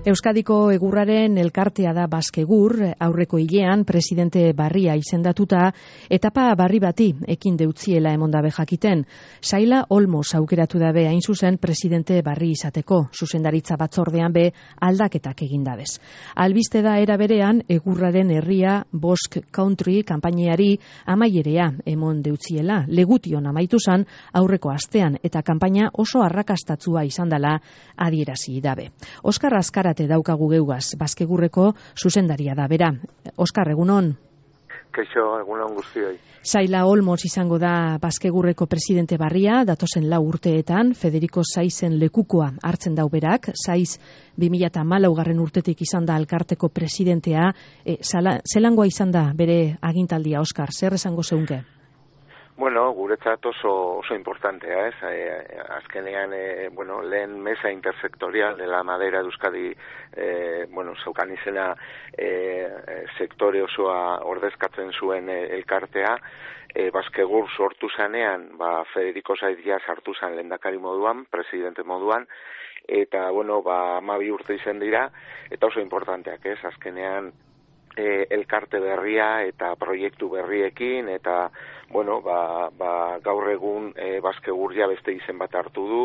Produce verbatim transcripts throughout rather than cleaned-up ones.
Euskadiko egurraren elkartea da Baskegur, aurreko hilean presidente barria izendatuta, etapa barri bati ekin deutziela emondabe jakiten. Saila Olmos aukeratu dabe hain zuzen presidente barri izateko, zuzendaritza batzordean be aldaketak egindabez. Albiste da era berean egurraren herria Bosk Country kanpainiari amaierea emon deutziela, legution amaitu zan aurreko astean eta kanpaina oso arrakastatzua izan dela adierazi dabe. Oskar Azkarate daukagu geugaz, Baskegurreko zuzendaria da bera. Oskar, egunon? Kaixo, egunon guztioi. Saila Olmos izango da Baskegurreko presidente barria, datozen lau urteetan, Federico Saizen lekukoa hartzen dau berak, Saiz bi mila hamalaugarren urtetik izan da alkarteko presidentea, e, zala, zelangoa izan da bere agintaldia, Oskar, zer esango zeunke? Bueno, guretzat oso, oso importantea, ez? Eh, azkenean, eh, bueno, lehen mesa intersectorial de la madera de Euskadi, eh, bueno, zeukan izena eh, sektore osoa ordezkatzen zuen eh, elkartea, eh, Baskegur sortu zanean, ba, Federico Saiz sartu zan lehendakari moduan, presidente moduan, eta, bueno, ba, hamabi urte izan dira, eta oso importanteak, ez? Azkenean, eh, elkarte berria eta proiektu berriekin, eta bueno, ba, ba, gaur egun e, Baskegur ja beste izen bat hartu du,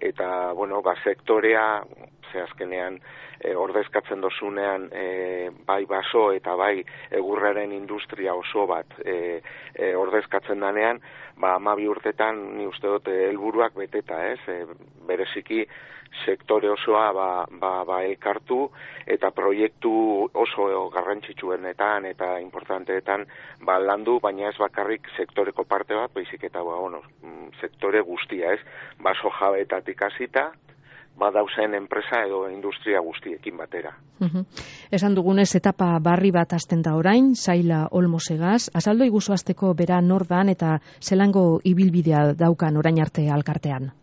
eta, bueno, ba, sektorea, ze azkenean e, ordezkatzen dozunean e, bai baso eta bai egurraren industria oso bat e, e, ordezkatzen danean, ba, hamabi urtetan ni uste dut helburuak beteta, ez? E, bereziki sektore osoa ba, ba, ba elkartu eta proiektu oso garrantzitsuenetan eta importanteetan ba, landu, baina ez bakarrik sektoreko parte bat, baizik eta ba, bueno, sektore guztia, ez? Baso jabeetatik hasita, badauzen enpresa edo industria guztiekin batera. Uh-huh. Esan dugunez, etapa barri bat hasten da orain, Saila Olmosegaz, azaldo iguzu hasteko bera nordan eta zelango ibilbidea daukan orain arte alkartean?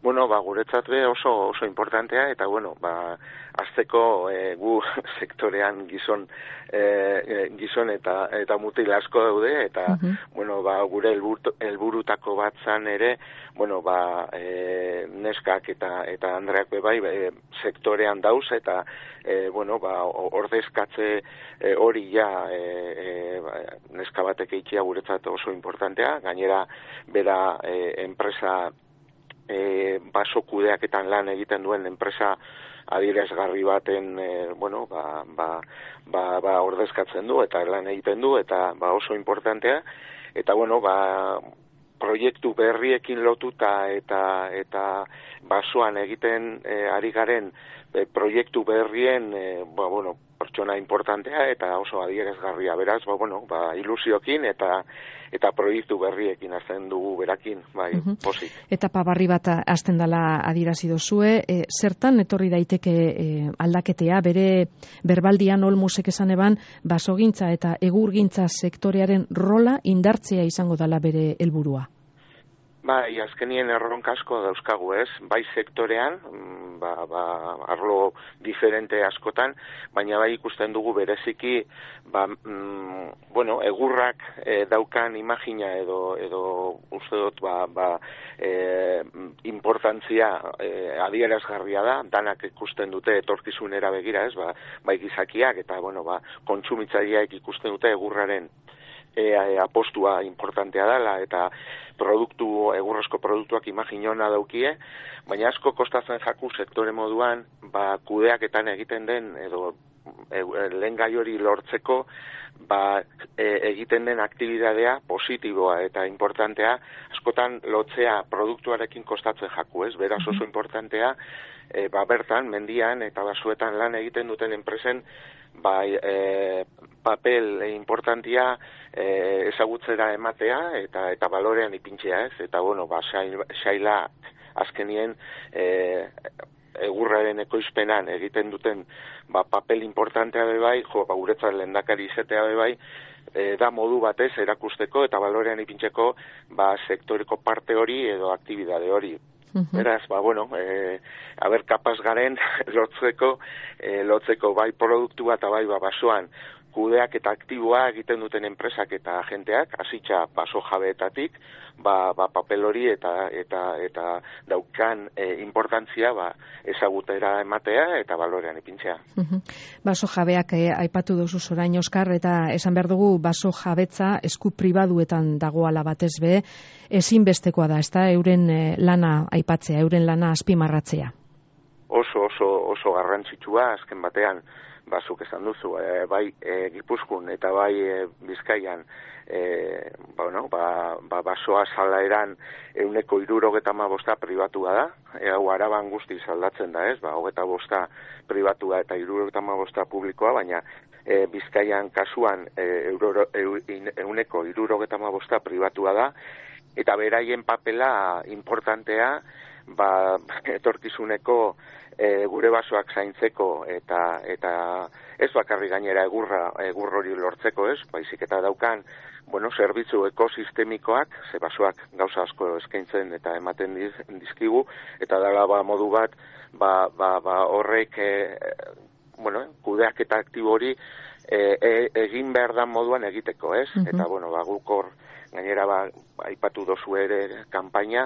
Bueno, ba, guretzat be oso oso importantea, eta bueno, ba, azteko e, gu sektorean gizon e, gizon eta eta mutil asko daude, eta uh-huh. bueno, ba, gure helburutako bat zan ere, bueno, ba, e, neskak eta eta andreak be bai e, sektorean dauz, eta e, bueno, ba, ordezkatze e, hori ja e, e, neska batek eitzia guretzat oso importantea, gainera bera e, enpresa E, baso kudeaketan lan egiten duen enpresa adierazgarri baten e, bueno, ba, ba, ba, ba ordezkatzen du eta lan egiten du eta ba oso importantea, eta bueno, ba proiektu berriekin lotuta eta eta basoan egiten e, ari garen e, proiektu berrien e, ba, bueno, pertsona importantea eta oso adierazgarria, beraz, ba, bueno, ba, ilusiokin eta eta proiektu berriekin hasten dugu berakin, bai, uh-huh. Pozik. Etapa barri bat hasten dela adierazi dozue, e, zertan etorri daiteke e, aldaketea, bere berbaldian Olmosek esan eban, basogintza eta egurgintza sektorearen rola indartzea izango dela bere helburua. Bai, azkenien erronka asko dauzkagu, ez? Bai sektorean, ba, ba, arlo diferente askotan, baina bai ikusten dugu bereziki, ba, mm, bueno, egurrak e, daukan imagina edo edo uste dut, ba, ba, e, importantzia e, adierazgarria da, danak ikusten dute etorkizunera begira, ez? Ba, bai gizakiak eta, bueno, ba, kontsumitzaileak ikusten dute egurraren E, e, apostua importantea dela eta produktu, egurrezko produktuak imaginona daukie, baina asko kostatzen jaku sektore moduan, ba, kudeaketan egiten den edo e, lehen gai hori lortzeko ba, e, egiten den aktibidadea positiboa eta importantea, askotan lotzea produktuarekin kostatzen jaku, ez? Beraz oso importantea, e, ba, bertan, mendian eta basuetan lan egiten duten enpresen bai, e, papel e, importantia e, ezagutzera ematea eta eta balorean ipintzea, ez? Eta bueno, ba Saila azkenien e, egurraren ekoizpenan egiten duten ba papel importantea be bai, jo, ba guretzat lehendakari izatea be bai, e, da modu batez erakusteko eta balorean ipintzeko ba sektoreko parte hori edo aktibidade hori. Beraz, ba, bueno, e, haber kapaz garen lotzeko, e, lotzeko bai produktua eta bai ba, basoan kudeak eta aktiboa egiten duten enpresak eta agenteak, hasitza baso jabeetatik, ba, ba papel hori eta eta eta daukan e, importantzia ba, ezagutera ematea eta balorean ipintzea. Uh-huh. Baso jabeak eh, aipatu duzu orain Oskar, eta esan behar dugu baso jabetza esku pribaduetan dagoala batez be, ezinbestekoa da, ezta, euren eh, lana aipatzea, euren lana azpimarratzea. Oso, oso, oso garrantzitsua, azken batean, bazuk esan duzu, e, bai e, Gipuzkoan eta bai e, Bizkaian, e, ba, no, ba, ba, basoa salaeran euneko hirurogeta hamabosta pribatua da, e, hau Araban guztiz aldatzen da, ez, ba, hogeta bosta pribatua eta hirurogeta hamabosta publikoa, baina e, Bizkaian kasuan e, euro, e, euneko hirurogeta hamabosta pribatua da, eta beraien papela importantea, ba, etorkizuneko e, gure basoak zaintzeko eta eta ez bakarri gainera egurra egur hori lortzeko, ez, baizik eta daukan, bueno, zerbitzu ekosistemikoak, ze basoak gauza asko eskaintzen eta ematen diz, dizkigu, eta dela ba modu bat, ba, ba, ba horrek e, bueno, kudeak eta aktibo hori e, e, egin behar dan moduan egiteko, ez? Uh-huh. Eta bueno, ba guk hor gainera ba aipatu dozu ere kanpaina,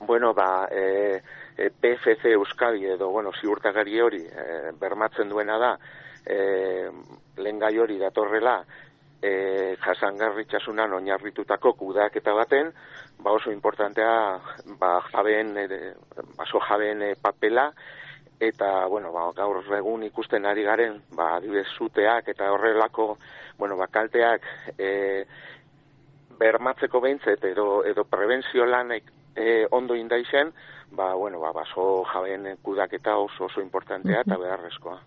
bueno, ba, e, e, P F C Euskadi edo, bueno, ziurtagari hori e, bermatzen duena da, e, lehengai hori datorrela, e, jasangarritasunan oinarritutako kudeaketa baten, ba oso importantea, ba, jabeen, e, baso jabeen e, papela, eta, bueno, ba, gaur egun ikusten ari garen, ba, adibidez zuteak eta horrelako, bueno, ba, kalteak, e, bermatzeko behintzet edo, edo prebentzio lanek e, ondo indaizen, ba, bueno, ba, baso jabeen kudaketa oso oso importantea eta beharrezkoa.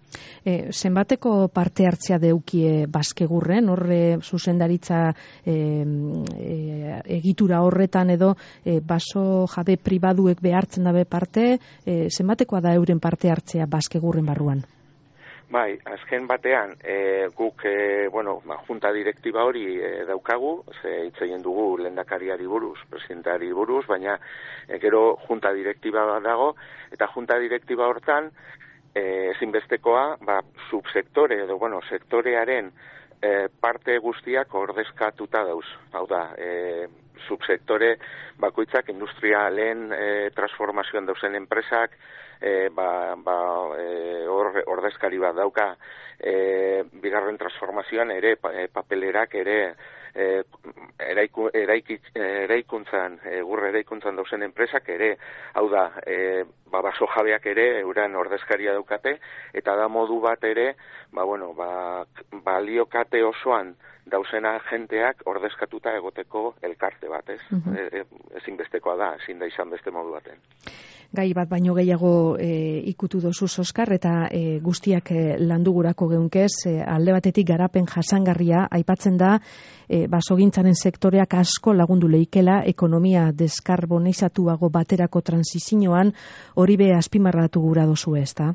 E, zenbateko parte hartzea deukie Baskegurren, horre zuzendaritza e, e, egitura horretan edo e, baso jabe pribaduek behartzen dabe parte, e, zenbatekoa da euren parte hartzea Baskegurren barruan? Bai, azken batean, e, guk, e, bueno, ba, junta direktiba hori e, daukagu, ze hitz egin dugu lehendakariari buruz, presidentari buruz, baina e, gero junta direktiba dago, eta junta direktiba hortan, e, ezinbestekoa, ba, subsektore edo, bueno, sektorearen e, parte guztiak ordezkatuta dauz. Hau da, e, subsektore bakoitzak industrialen e, transformazioan dauzen enpresak, E, ba, ba, e, or, ordezkari bat dauka, e, bigarren transformazioan ere e, papelerak ere e, eraiku, eraiki, eraikuntzan, egur eraikuntzan dauzen enpresak ere, hau da, e, ba, baso jabeak ere euran ordezkaria daukate, eta da modu bat ere, ba, bueno, ba, baliokate osoan dauzena jenteak ordezkatuta egoteko elkarte bat, ez? Uh-huh. e, e, ezinbestekoa da, ezin da izan beste modu baten. Gai bat baino gehiago e, ikutu dozu Oskar, eta e, guztiak e, landugurako geunkez, e, alde batetik garapen jasangarria aipatzen da, e, basogintzaren sektoreak asko lagundu leikela ekonomia deskarbonizatuago baterako transizioan, hori be azpimarratu gura dozu, ezta?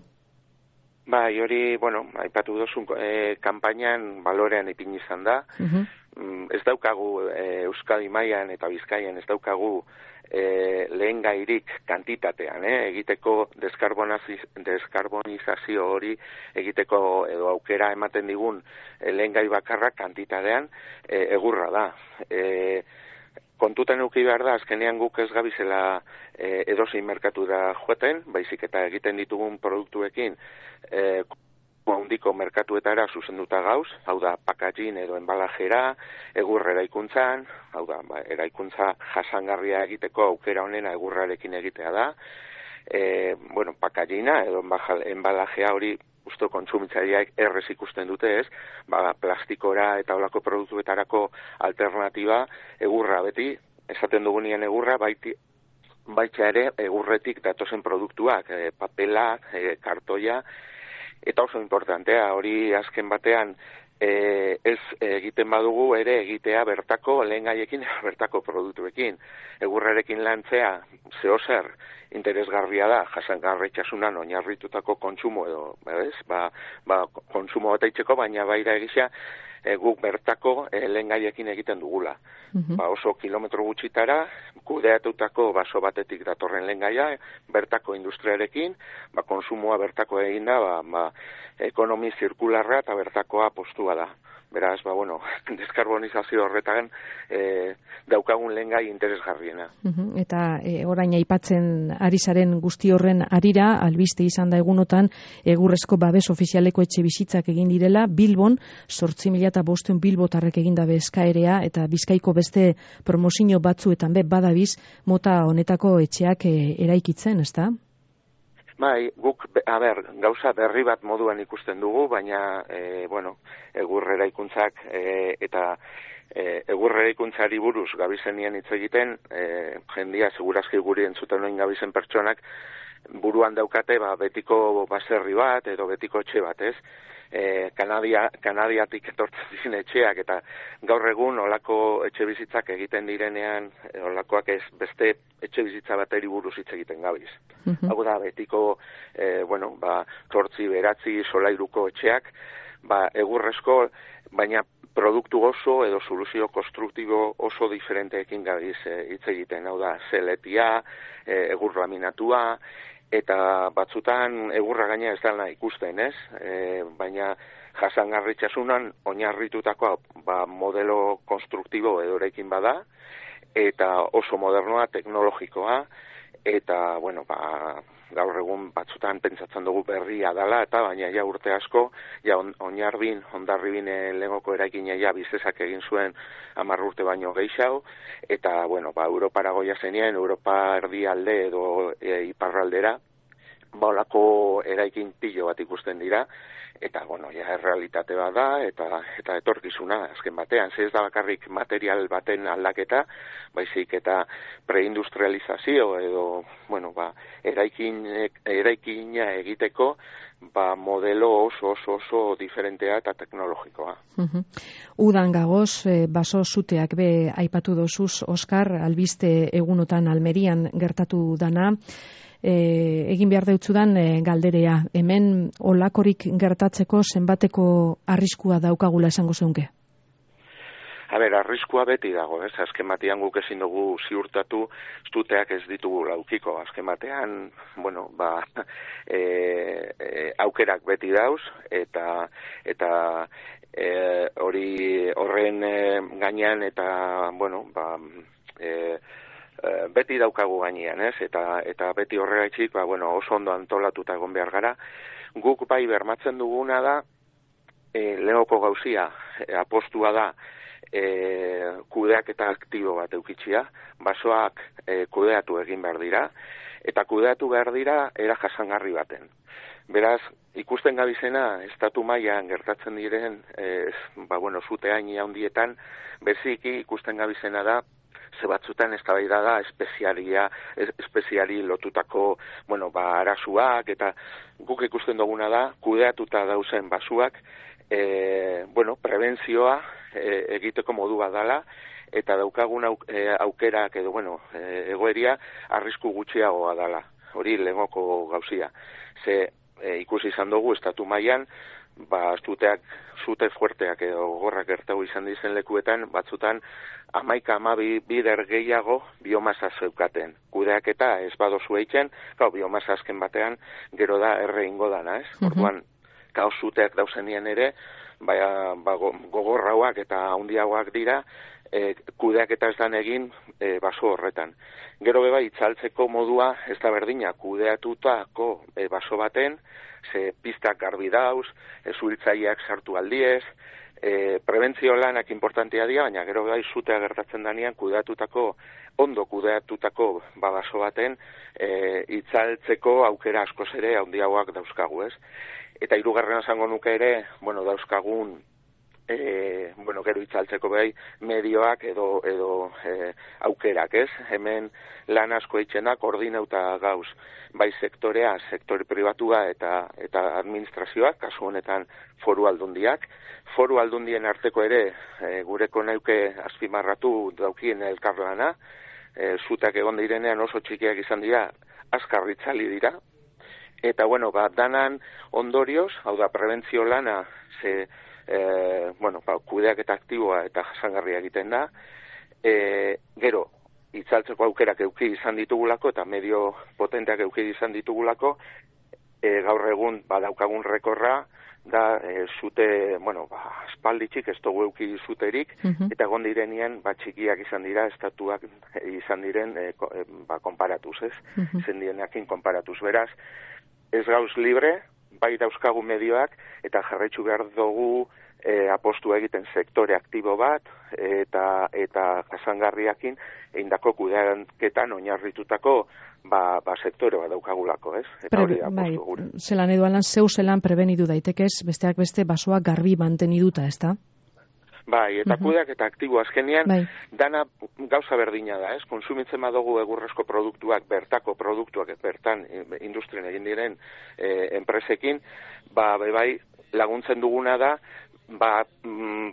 Bai, hori, bueno, aipatu dozu e, kanpainan balorean ipini izan da. Uh-huh. Ez daukagu e, Euskadi mailan eta Bizkaian ez daukagu e, lehen gairik kantitatean, eh? egiteko deskarbonizazio hori egiteko edo aukera ematen digun e, lehen gai bakarra kantitatean e, egurra da. E, kontutan euki behar da, azkenean guk ez gabizela e, edozein merkatura joaten, baizik eta egiten ditugun produktuekin e, handiko merkatuetara zuzenduta gauz, hau da packaging edo enbalajera, egur eraikuntzan, hau da ba, eraikuntza jasangarria egiteko aukera honena egurrarekin egitea da, e, bueno, packaginga edo enbalajea hori usto kontsumitzaileak errez ikusten dute, ez? Ba, plastikora eta olako produktuetarako alternatiba egurra beti, esaten dugunean egurra, baiti, baita ere egurretik datozen produktuak, e, papela, e, kartoia, eta oso importantea, hori azken batean e, ez egiten badugu ere egitea bertako lehengaiekin, bertako produktuekin. Egurrarekin lantzea zeozer interesgarria da, jasangarritasunan oinarritutako kontsumo edo, ez? Ba, ba, kontsumo bat eitzeko, baina baira egizia e, guk bertako e, lehengaiekin egiten dugula. Uh-huh. Ba, oso kilometro gutxitara, kudeatutako baso batetik datorren lehengaia, bertako industriarekin, ba, konsumoa bertako egin da, ba, ba, ekonomi zirkularra eta bertakoa postua da. Beraz, ba, bueno, deskarbonizazio horretan e, daukagun lehengai interesgarriena. Uh-huh. Eta e, orain aipatzen ari zaren guzti horren arira, albiste izan da egunotan, egurrezko babes ofizialeko etxe bizitzak egin direla, Bilbon, zortzi mila eta bostehun bilbotarrek egindabe eskaerea, eta Bizkaiko beste promozio batzuetan be badabiz, mota honetako etxeak e, eraikitzen, ezta? Bai, guk, a ber, gauza berri bat moduan ikusten dugu, baina, e, bueno, egur eraikuntzak e, eta e, egur eraikuntzari buruz gabizenien hitz egiten, e, jendia segurazki guri entzuten noin gabizen pertsonak, buruan daukate, ba, betiko baserri bat edo betiko etxe bat, ez? E, Kanadia, Kanadiatik etortzen diren etxeak, eta gaur egun olako etxe bizitzak egiten direnean, olakoak ez beste etxe bizitza bateri buruz hitz egiten gabiz. Uh-huh. Hau da, betiko, e, bueno, ba, zortzi, beratzi, solairuko etxeak, ba, egurrezko, baina produktu oso edo soluzio konstruktibo oso diferenteekin gabiz hitz e, egiten. Hau da, zeletia, e, egur laminatua, eta batzutan egurra gaina ez dela ikusten, ez? E, baina jasangarritasunan oinarritutako ba, modelo konstruktibo edo erekin bada, eta oso modernoa, teknologikoa, eta, bueno, ba, gaur egun batzutan pentsatzen dugu berria dela, eta baina ja urte asko, ja on, oinarbin, ondarribin lehengoko eraikina ja bizesak egin zuen hamar urte baino gehiago, eta, bueno, ba, Europara goia zenien, Europa erdialde edo e, iparraldera, ba, olako eraikin pilo bat ikusten dira, eta, bueno, ja, errealitate bat da, eta, eta etorkizuna, azken batean, ze ez da bakarrik material baten aldaketa, baizik eta preindustrializazio edo, bueno, ba, eraikin, eraikina egiteko, ba, modelo oso, oso, oso diferentea eta teknologikoa. Uh-huh. Udan gagoz, e, baso zuteak be aipatu dozuz, Oskar, albiste egunotan Almerian gertatu dana, E, egin behar deutzudan e, galderea. Hemen olakorik gertatzeko zenbateko arriskua daukagula esango zeunke? A ber, arriskua beti dago, ez? Azken batean guk ezin dugu ziurtatu, zuteak ez ditugu laukiko. Azken batean, bueno, ba, e, e, aukerak beti dauz, eta eta e, hori horren e, gainean, eta, bueno, ba, e, beti daukagu gainean, ez? Eta eta beti horregatik, ba, bueno, oso ondo antolatuta egon behar gara. Guk bai bermatzen duguna da, e, lehoko gauzia, e, apostua da, e, kudeaketa aktibo bat eukitxia, basoak e, kudeatu egin behar dira, eta kudeatu behar dira era jasangarri baten. Beraz, ikusten gabizena, estatu mailan gertatzen diren, e, ba, bueno, zute haini handietan, beziki ikusten gabizena da, ze batzutan eztabaida da espezialia, espeziali lotutako, bueno, ba, arasuak, eta guk ikusten duguna da, kudeatuta dauzen basuak, e, bueno, prebentzioa e, egiteko modu bat dala, eta daukagun auk, e, aukerak edo, bueno, e, egoeria arrisku gutxiagoa dala, hori lehengoko gauzia. Ze e, ikusi izan dugu, estatu mailan, ba, zuteak, zute fuerteak edo gorrak gertatu izan dizen lekuetan, batzutan hamaika hamabi bider gehiago biomasa zeukaten. Kudeak eta ez badozu eitzen, gau, biomasa azken batean gero da erre ingo dana, ez? Uh-huh. Orduan, gau zuteak dauzenien ere, baina ba, gogorrauak eta handiagoak dira, e, kudeak eta ez dan egin e, baso horretan. Gero beba itzaltzeko modua ez da berdina, kudeatutako e, baso baten, ze pistak garbi dauz, e, zuhiltzaileak sartu aldiez, e, prebentzio lanak importantea dira, baina gero bai zutea gertatzen danean kudeatutako, ondo kudeatutako baso baten e, itzaltzeko aukera askoz ere handiagoak dauzkagu, ez? Eta hirugarren esango nuke ere, bueno, dauzkagun E, bueno, gero itzaltzeko behai medioak edo, edo e, aukerak, ez? Hemen lan asko eitzen da, koordinauta gauz, bai sektorea, sektore pribatua eta eta administrazioak, kasu honetan foru aldundiak. Foru aldundien arteko ere, e, gureko nauke azpimarratu daukien elkarlana, e, zutak egon direnean oso txikiak izan dira, azkar itzali dira, eta, bueno, ba, danan ondorioz, hau da, prebentzio lana, ze, E, bueno, ba, kudeak eta aktiboa eta jasangarria egiten da, e, gero, itzaltzeko aukerak euki izan ditugulako eta medio potenteak euki izan ditugulako, e, gaur egun badaukagun rekorra, da e, zute, bueno, ba, espalditxik ez dugu euki zuterik, uh-huh. eta egon direnean, ba, txikiak izan dira, estatuak izan diren, e, ko, e, ba, konparatuz, ez? Uh-huh. Zendieneakin konparatuz, beraz, ez gauz libre, bai dauzkagu medioak, eta jarraitzu behar dugu e, apostu egiten sektore aktibo bat, eta eta jasangarriakin eindako kudeaketan oinarritutako ba, ba sektore bat daukagulako, ez? Eta Pre, hori apostu bai, gure. Zelan edo alan, zeu zelan prebenidu daitekez, besteak beste basoa garbi manteniduta, ezta? Bai, eta uh-huh. kudeak eta aktibo azkenean, bai. dana gauza berdina da, ez? Konsumitzen badugu egurrezko produktuak, bertako produktuak, bertan industrien egin diren e, enpresekin, ba, bai, laguntzen duguna da, ba,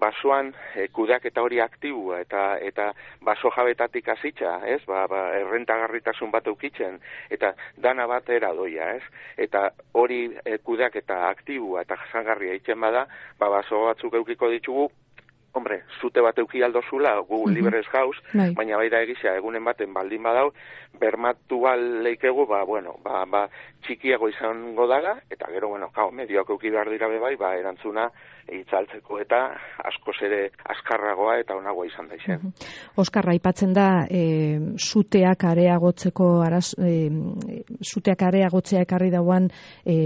basoan e, kudeak eta hori aktibua eta eta baso jabetatik hasitza, ez? Ba, ba errentagarritasun bat eukitzen eta dana batera doia, ez? Eta hori e, kudeak eta aktibua eta jasangarria itzen bada, ba baso batzuk eukiko ditugu. Hombre, zute bat euki aldozula, gu uh-huh. liberez gauz, bai. Baina bai da egizia, egunen baten baldin badau, bermatu leikegu, ba, bueno, ba, ba, txikiago izango daga, eta gero, bueno, kao, medioak euki behar dira bai, ba, erantzuna itzaltzeko eta askoz ere askarragoa eta onagoa izan daixen. Uh-huh. Oskarra, aipatzen da, e, zuteak areagotzeko, araz, e, zuteak areagotzea ekarri dauan, e,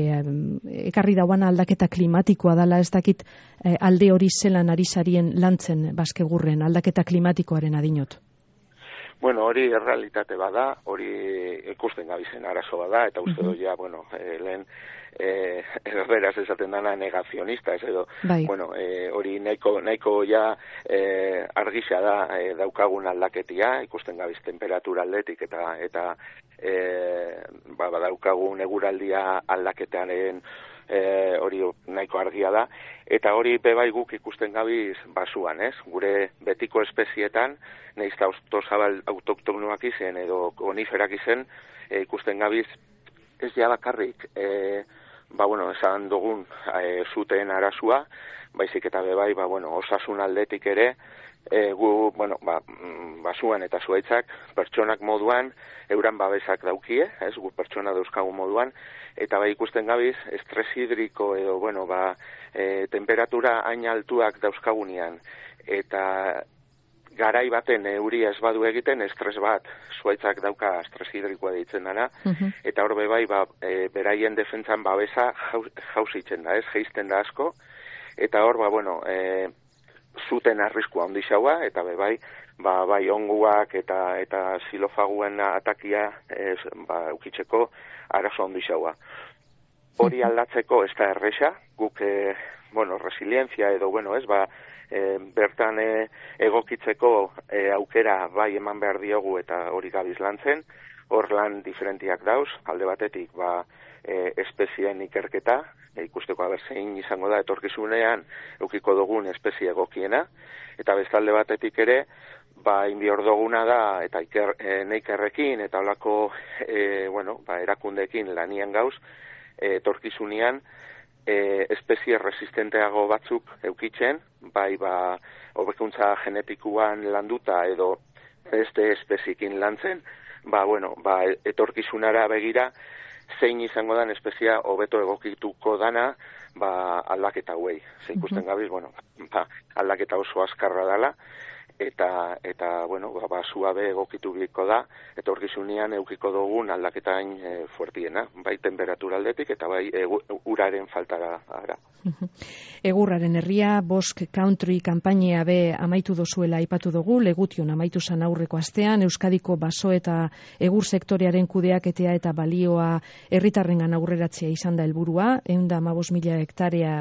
ekarri dauan aldaketa klimatikoa dala, ez dakit e, alde hori zelan ari sarien lantzen Baskegurren, aldaketa klimatikoaren adinot. Bueno, hori errealitate bada, hori ikusten gabizen arazo bada, eta uste uh-huh. doia, bueno, e, lehen eh, erderaz esaten dana negazionista, ez edo, bai. Bueno, eh, hori nahiko, nahiko ja eh, argisa da eh, daukagun aldaketia, ikusten gabiz temperatura aldetik, eta eta eh, ba, daukagun eguraldia aldaketearen eh, hori nahiko argia da, eta hori bebai guk ikusten gabiz basuan, ez? Gure betiko espezietan, nahiz eta autozabal autoktonoak izen edo koniferak izen, e, ikusten gabiz ez ja bakarrik, e, ba bueno, esan dugun e, zuten arazua, baizik eta bebai, ba bueno, osasun aldetik ere, e, gu, bueno, ba, basuan eta zuaitzak pertsonak moduan, euran babesak daukie, ez, gu pertsona dauzkagu moduan, eta bai ikusten gabiz, estres hidriko edo, bueno, ba, e, temperatura hain altuak dauzkagunean, eta garai baten euria ez badu egiten, estres bat, zuaitzak dauka estres hidrikoa deitzen dana, uh-huh. eta hor bebai, ba, e, beraien defentzan babesa jauzitzen da, ez, geizten da asko, eta hor, ba, bueno, e, zuten arriskua ondixaua, eta bebai, ba, bai onguak eta eta xilofaguen atakia ez, ba, ukitzeko arazo ondixaua. Hori aldatzeko ez da erresa, guk, e, bueno, resilientzia edo, bueno, ez, ba, e, bertan e, egokitzeko e, aukera bai eman behar diogu eta hori gabiz lantzen, hor lan diferentiak dauz, alde batetik, ba, e, espezien ikerketa, e, ikusteko aber zein izango da etorkizunean eukiko dugun espezie egokiena, eta bestalde batetik ere, ba, inbior duguna da, eta iker, e, neikerrekin, eta holako, e, bueno, ba, erakundekin lanian gauz, e, etorkizunean, e, espezie resistenteago batzuk eukitzen, bai, ba, hobekuntza genetikuan landuta edo beste espezikin lantzen, ba, bueno, ba, etorkizunara begira, zein izango dan espezia hobeto egokituko dana, ba, aldaketa hauei. Zein ikusten gabiz, bueno, ba, aldaketa oso azkarra dela, eta, eta bueno, ba, ba suabe egokitu biko da, eta orkizunean eukiko dugun aldaketaen e, fuertiena, bai temperatura aldetik, eta bai e, uraren faltara ara. Egurraren herria, Bosk Country kanpainea be amaitu dozuela aipatu dugu, Legution amaitu zan aurreko astean, Euskadiko baso eta egur sektorearen kudeaketea eta balioa herritarrengan aurreratzea izan da helburua, ehun eta hamabost mila hektarea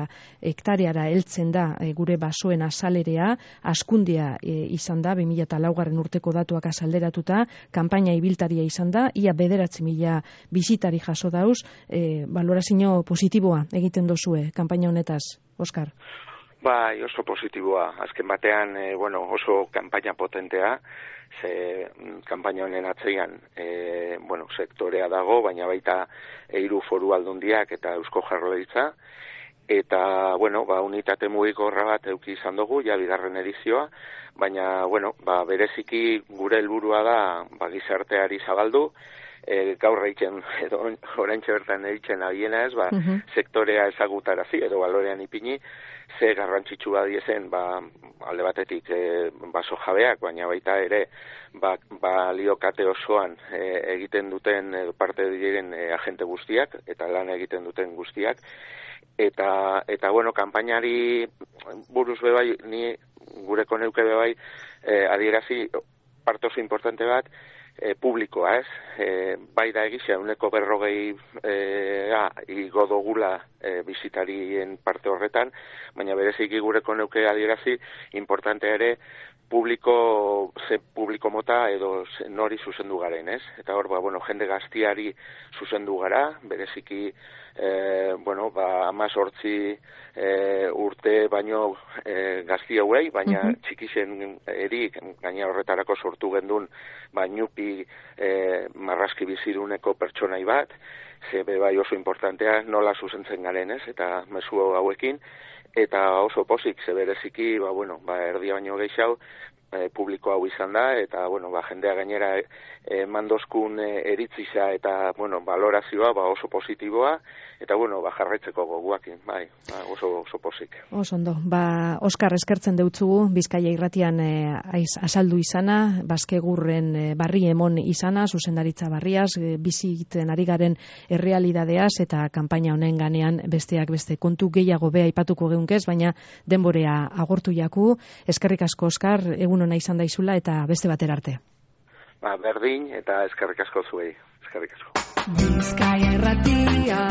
hektareara heltzen da e, gure basoen azalerea, askundia e, izan da, bi mila laugarren urteko datuak azalderatuta, kanpaina ibiltaria izan da, ia bederatzi mila bisitari jaso dauz, e, balorazio positiboa egiten dozue, kanpaina honetaz, Oskar? Bai, oso positiboa. Azken batean, e, bueno, oso kanpaina potentea, ze kanpaina honen atzean, e, bueno, sektorea dago, baina baita hiru foru aldundiak eta Eusko Jaurlaritza, eta, bueno, ba, unitate mugikorra bat euki izan dugu, ja bigarren edizioa, baina, bueno, ba, bereziki gure helburua da, ba, gizarteari zabaldu, e, gaur egiten, edo oraintxe bertan egiten abiena ez, ba, uh-huh. sektorea ezagutarazi, edo balorean ipini, ze garrantzitsua diezen, ba, alde batetik e, baso jabeak, baina baita ere, ba, baliokate osoan e, egiten duten edo parte diren e, agente guztiak, eta lan egiten duten guztiak, eta, eta bueno, kanpainari buruz bebai, ni gureko neuke bebai, e, adierazi parte oso importante bat, e, publikoa, ez? E, bai da egizia, uneko berrogei e, a, igo dogula e, bizitarien parte horretan, baina bereziki gureko neuke adierazi, importante ere, publiko, ze publiko mota edo ze, nori zuzendu garen, ez? Eta hor, ba, bueno, jende gaztiari zuzendu gara, bereziki, e, bueno, ba, amazortzi e, urte baino e, gazti hauei, baina uh-huh. txikixen erik, gaina horretarako sortu gendun, ba, nyupi e, marrazki biziruneko pertsonai bat, ze bai oso importantea nola zuzentzen garen, ez? Eta mezu hauekin, eta oso pozik, ze bereziki, ba, bueno, ba, erdia baino gehiago, e, publiko hau izan da, eta, bueno, ba, jendea gainera e, mandozkun e, eritzisa eta, bueno, valorazioa, ba, oso positiboa, eta, bueno, ba, jarraitzeko goguakin, bai, ba, oso, oso pozik. Oso ondo, ba, Oskar, eskertzen deutzugu, Bizkaia irratian e, aiz, azaldu izana, Baskegurren e, barri emon izana, zuzendaritza barriaz, e, biziten ari garen errealidadeaz, eta kanpaina honen ganean besteak beste kontu gehiago beha aipatuko geunkez, baina denborea agortu jaku. Eskerrik asko, Oskar, egun ona izan daizula, eta beste batera arte. Ba, berdin, eta eskerrik asko zuei, eskerrik asko. Bizkaia irratia